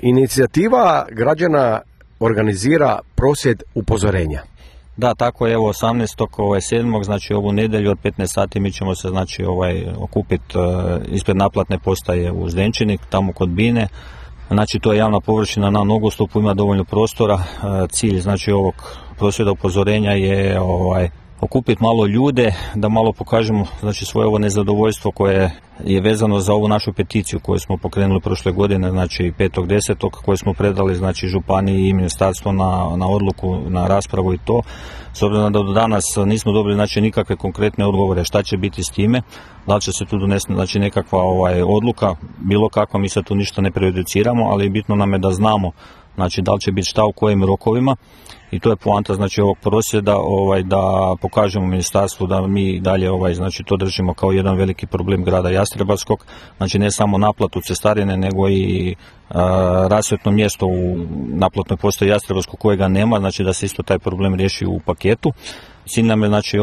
Inicijativa građana organizira prosvjed upozorenja. Da, tako je, evo 18.7. znači ovu nedjelju od 15 sati mi ćemo se znači okupiti ispred naplatne postaje u Zdenčini, tamo kod Bine. Znači to je javna površina na nogostupu, ima dovoljno prostora. Cilj znači ovog prosvjeda upozorenja je okupiti malo ljude, da malo pokažemo znači svoje ovo nezadovoljstvo koje je vezano za ovu našu peticiju koju smo pokrenuli prošle godine, znači 5.10. koju smo predali znači županiji i ministarstvo na odluku, na raspravu i to. S obzirom da do danas nismo dobili znači nikakve konkretne odgovore šta će biti s time, da li će se tu donesti znači nekakva odluka, bilo kakva, mi se tu ništa ne prejudiciramo, ali bitno nam je da znamo znači da li će biti šta u kojim rokovima. I to je poanta znači ovog prosvjeda, da pokažemo ministarstvu da mi dalje znači to držimo kao jedan veliki problem grada Jastrebarskog, znači ne samo naplatu cestarine nego i rasvjetno mjesto u naplatnoj postaji Jastrebarskog kojega nema, znači da se isto taj problem riješi u paketu. Cilj nam je znači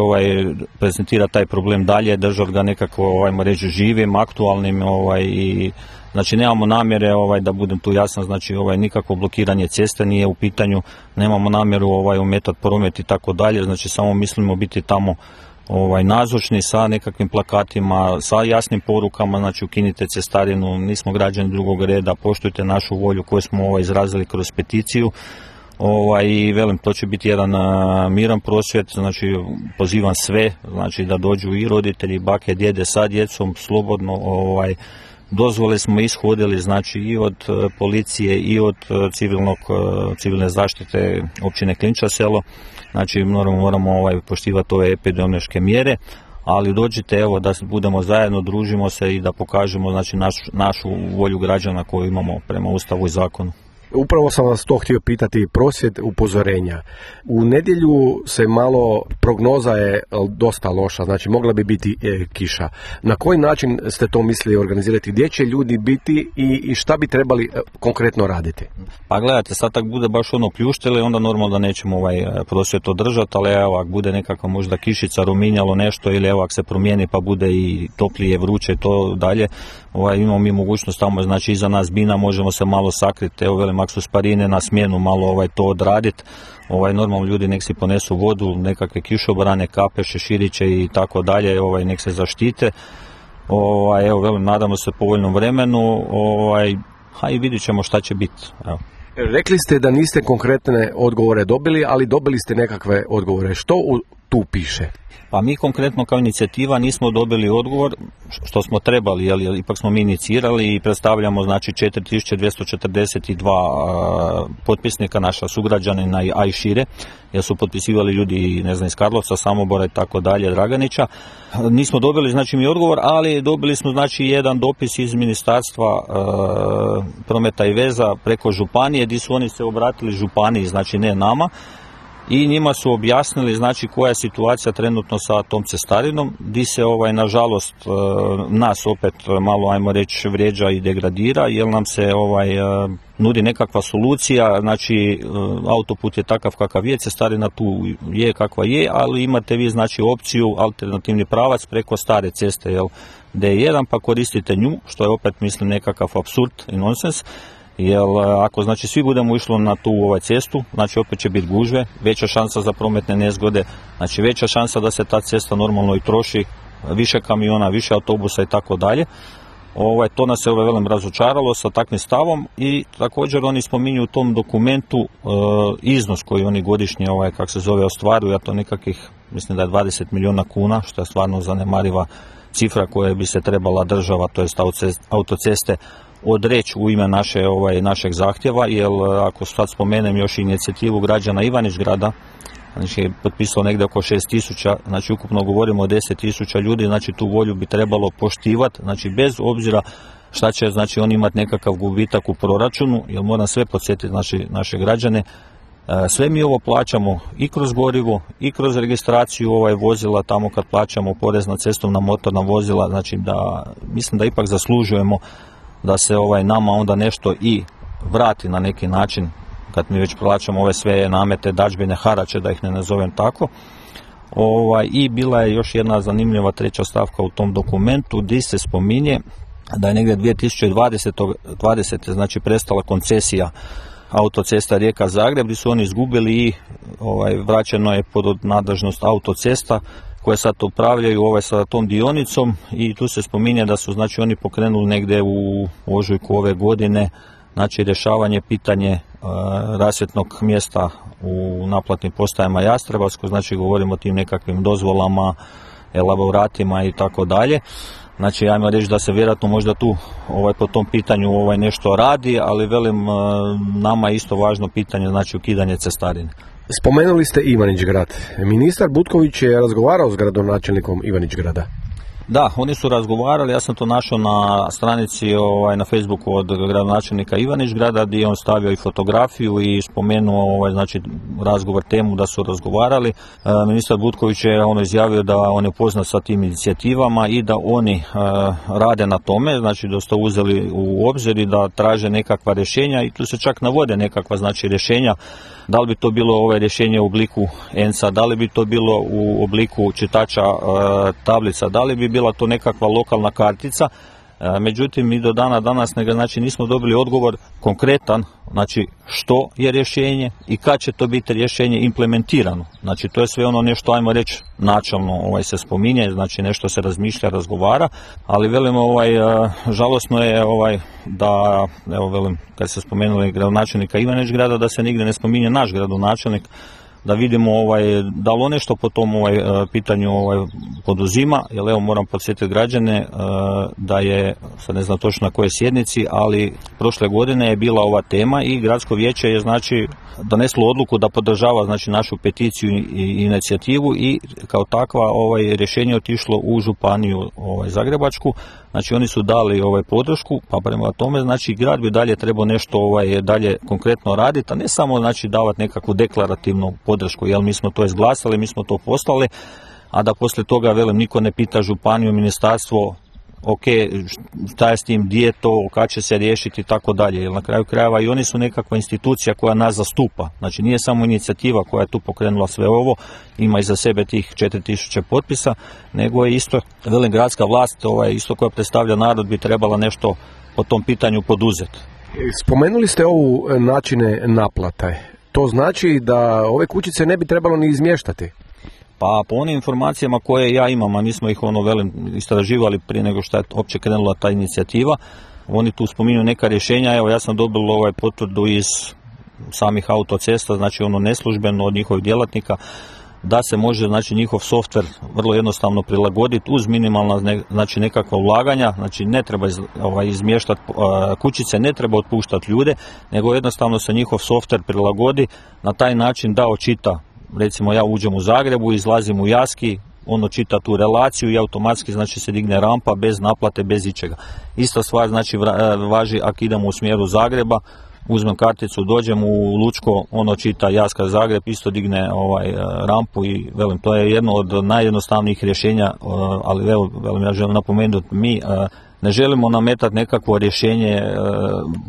prezentira taj problem dalje, držati ga nekako reći živim, aktualnim i znači nemamo namjere da budem tu jasan, znači nikakvo blokiranje ceste nije u pitanju, nemamo namjeru ometati promet i tako dalje, znači samo mislimo biti tamo nazočni sa nekakvim plakatima, sa jasnim porukama, znači ukinite cestarinu, nismo građani drugog reda, poštujte našu volju koju smo izrazili kroz peticiju. I velim, to će biti jedan miran prosvjed, znači pozivam sve, znači da dođu i roditelji, bake, djede sa djecom, slobodno, dozvole smo ishodili, znači i od policije i od civilne zaštite općine Klinča selo, znači moramo poštivati ove epidemiološke mjere, ali dođite evo da budemo zajedno, družimo se i da pokažemo znači našu volju građana koju imamo prema Ustavu i zakonu. Upravo sam vas to htio pitati, prosvjed upozorenja. U nedjelju se malo, prognoza je dosta loša, znači mogla bi biti kiša. Na koji način ste to mislili organizirati? Gdje će ljudi biti i šta bi trebali konkretno raditi? Pa gledajte, sad tak bude baš pljuštili, onda normalno da nećemo prosvjed održati, ali evo, ako bude nekakva možda kišica, ruminjalo nešto, ili evo, ako se promijeni pa bude i toplije, vruće i to dalje, imamo mi mogućnost tamo, znači iza nas Bina, možemo se malo sakriti, evo velim, ako su sparine na smjenu, malo to odraditi, normalno ljudi nek si ponesu vodu, nekakve kišobrane, kape, šeširiće i tako dalje, nek se zaštite, evo velim, nadamo se povoljnom vremenu, i vidit ćemo šta će biti, evo. Rekli ste da niste konkretne odgovore dobili, ali dobili ste nekakve odgovore. Što tu piše? Pa mi konkretno kao inicijativa nismo dobili odgovor što smo trebali, jer ipak smo mi inicirali i predstavljamo znači 4242 potpisnika naša sugrađanina, a i šire, jer su potpisivali ljudi ne znam iz Karlovca, Samobora i tako dalje, Draganića. Nismo dobili znači mi odgovor, ali dobili smo znači jedan dopis iz Ministarstva prometa i veza preko županije, gdje su oni se obratili županiji, znači ne nama. I njima su objasnili znači koja je situacija trenutno sa tom cestarinom, di se nažalost nas opet malo ajmo reći vrijeđa i degradira, jer nam se nudi nekakva solucija, znači autoput je takav kakav je, cestarina tu je kakva je, ali imate vi znači opciju alternativni pravac preko stare ceste, D1, pa koristite nju, što je opet mislim nekakav apsurd i nonsens. Jer ako znači svi budemo išli na tu cestu, znači opet će biti gužve, veća šansa za prometne nezgode, znači veća šansa da se ta cesta normalno i troši, više kamiona, više autobusa i tako dalje. To nas je velim razočaralo sa takvim stavom i također oni spominju u tom dokumentu iznos koji oni godišnje kako se zove ostvaruju, a to nekakvih mislim da je 20 milijuna kuna, što je stvarno zanemariva cifra koja bi se trebala država, to jest autoceste, odreći u ime našeg zahtjeva, jer ako sad spomenem još inicijativu građana Ivanić-grada, znači je potpisao negdje oko 6.000, znači ukupno govorimo o 10.000 ljudi, znači tu volju bi trebalo poštivati, znači bez obzira šta će znači oni imati nekakav gubitak u proračunu, jer moram sve podsjetiti naše građane, sve mi ovo plaćamo i kroz gorivo i kroz registraciju vozila, tamo kad plaćamo porez na cestovna motorna vozila, znači da mislim da ipak zaslužujemo da se nama onda nešto i vrati na neki način, kad mi već plaćamo ove sve namete, dadžbine, harače, da ih ne nazovem tako. I bila je još jedna zanimljiva treća stavka u tom dokumentu gdje se spominje da je negdje 2020. znači prestala koncesija autocesta Rijeka-Zagreb, gdje su oni izgubili i vraćeno je pod nadležnost autocesta koje sad upravljaju sa tom dionicom, i tu se spominje da su znači oni pokrenuli negdje u ožujku ove godine znači rješavanje pitanje rasvjetnog mjesta u naplatnim postajama Jastrebarsko, znači govorimo o tim nekakvim dozvolama, elaboratima i tako dalje. Znači, ajmo reći da se vjerojatno možda tu po tom pitanju nešto radi, ali velim, nama je isto važno pitanje, znači ukidanje cestarine. Spomenuli ste Ivanić-Grad. Ministar Butković je razgovarao s gradonačelnikom Ivanić-Grada. Da, oni su razgovarali, ja sam to našao na stranici na Facebooku od gradonačelnika Ivanić-Grada, gdje je on stavio i fotografiju i spomenuo znači razgovor, temu da su razgovarali. Ministar Butković je izjavio da on je upoznat sa tim inicijativama i da oni rade na tome, znači da ste uzeli u obzir i da traže nekakva rješenja, i tu se čak navode nekakva znači rješenja. Da li bi to bilo rješenje u obliku ENC-a, da li bi to bilo u obliku čitača tablica, da li bi bila to nekakva lokalna kartica. Međutim, mi do dana danas znači, nismo dobili odgovor konkretan, znači što je rješenje i kad će to biti rješenje implementirano. Znači to je sve nešto, ajmo reći, načelno se spominje, znači nešto se razmišlja, razgovara, ali velim, žalosno je da, evo velim, kad se spomenuli gradonačelnika Ivanić-Grada, da se nigdje ne spominje naš gradonačelnik, da vidimo da li on nešto po tom pitanju poduzima, jer evo moram podsjetiti građane da je, sad ne znam točno na kojoj sjednici, ali prošle godine je bila ova tema i gradsko vijeće je znači doneslo odluku da podržava znači našu peticiju i inicijativu, i kao takva rješenje otišlo u županiju Zagrebačku. Znači oni su dali podršku, pa prema tome znači grad bi dalje trebao nešto dalje konkretno raditi, a ne samo znači davati nekakvu deklarativnu podršku, jer mi smo to izglasali, mi smo to poslali, a da poslije toga, velim, niko ne pita županiju, ministarstvo, ok, šta je s tim, gdje je to, kad će se riješiti i tako dalje, jer na kraju krajeva i oni su nekakva institucija koja nas zastupa. Znači nije samo inicijativa koja je tu pokrenula sve ovo, ima iza sebe tih 4000 potpisa, nego je isto, velim, gradska vlast, isto koja predstavlja narod, bi trebala nešto po tom pitanju poduzeti. Spomenuli ste ovu načine naplate. To znači da ove kućice ne bi trebalo ni izmještati? Pa po onim informacijama koje ja imam, a mi smo ih velim istraživali prije nego što je uopće krenula ta inicijativa, oni tu spominju neka rješenja. Evo, ja sam dobil potvrdu iz samih autocesta, znači neslužbeno od njihovih djelatnika, da se može znači njihov softver vrlo jednostavno prilagoditi uz minimalna znači nekakva ulaganja, znači ne treba izmještati kućice, ne treba otpuštati ljude, nego jednostavno se njihov softver prilagodi na taj način da očita. Recimo ja uđem u Zagrebu, izlazim u Jaski, ono čita tu relaciju i automatski znači se digne rampa bez naplate, bez ičega. Ista stvar znači važi ako idemo u smjeru Zagreba, uzmem karticu, dođem u Lučko, ono čita Jaska Zagreb, isto digne rampu, i velim, to je jedno od najjednostavnijih rješenja, ali evo, velim, ja želim napomenuti, mi ne želimo nametati nekakvo rješenje,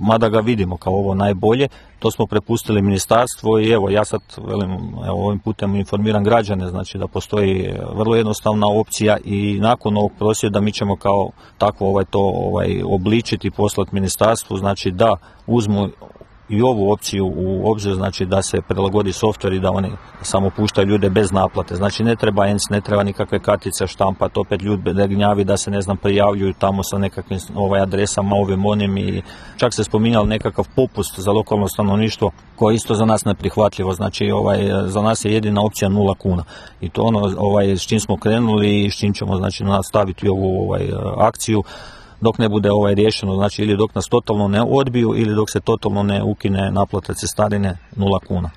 mada ga vidimo kao ovo najbolje, to smo prepustili ministarstvo, i evo ja sad, velim, evo, ovim putem informiram građane, znači da postoji vrlo jednostavna opcija, i nakon ovog prosvjeda mi ćemo kao tako to obličiti i poslati ministarstvu, znači da uzmu i ovu opciju u obzir, znači da se prilagodi softver i da oni samo puštaju ljude bez naplate. Znači ne treba ENC, ne treba nikakve kartice štampati, opet ljudi gnjavi da se prijavljuju tamo sa nekakvim adresama, ovim onim, i čak se spominjalo nekakav popust za lokalno stanovništvo koje je isto za nas neprihvatljivo. Znači za nas je jedina opcija 0 kuna. I to s čim smo krenuli i s čim ćemo znači nastaviti ovu akciju dok ne bude riješeno, znači ili dok nas totalno ne odbiju ili dok se totalno ne ukine naplata cestarine 0 kuna.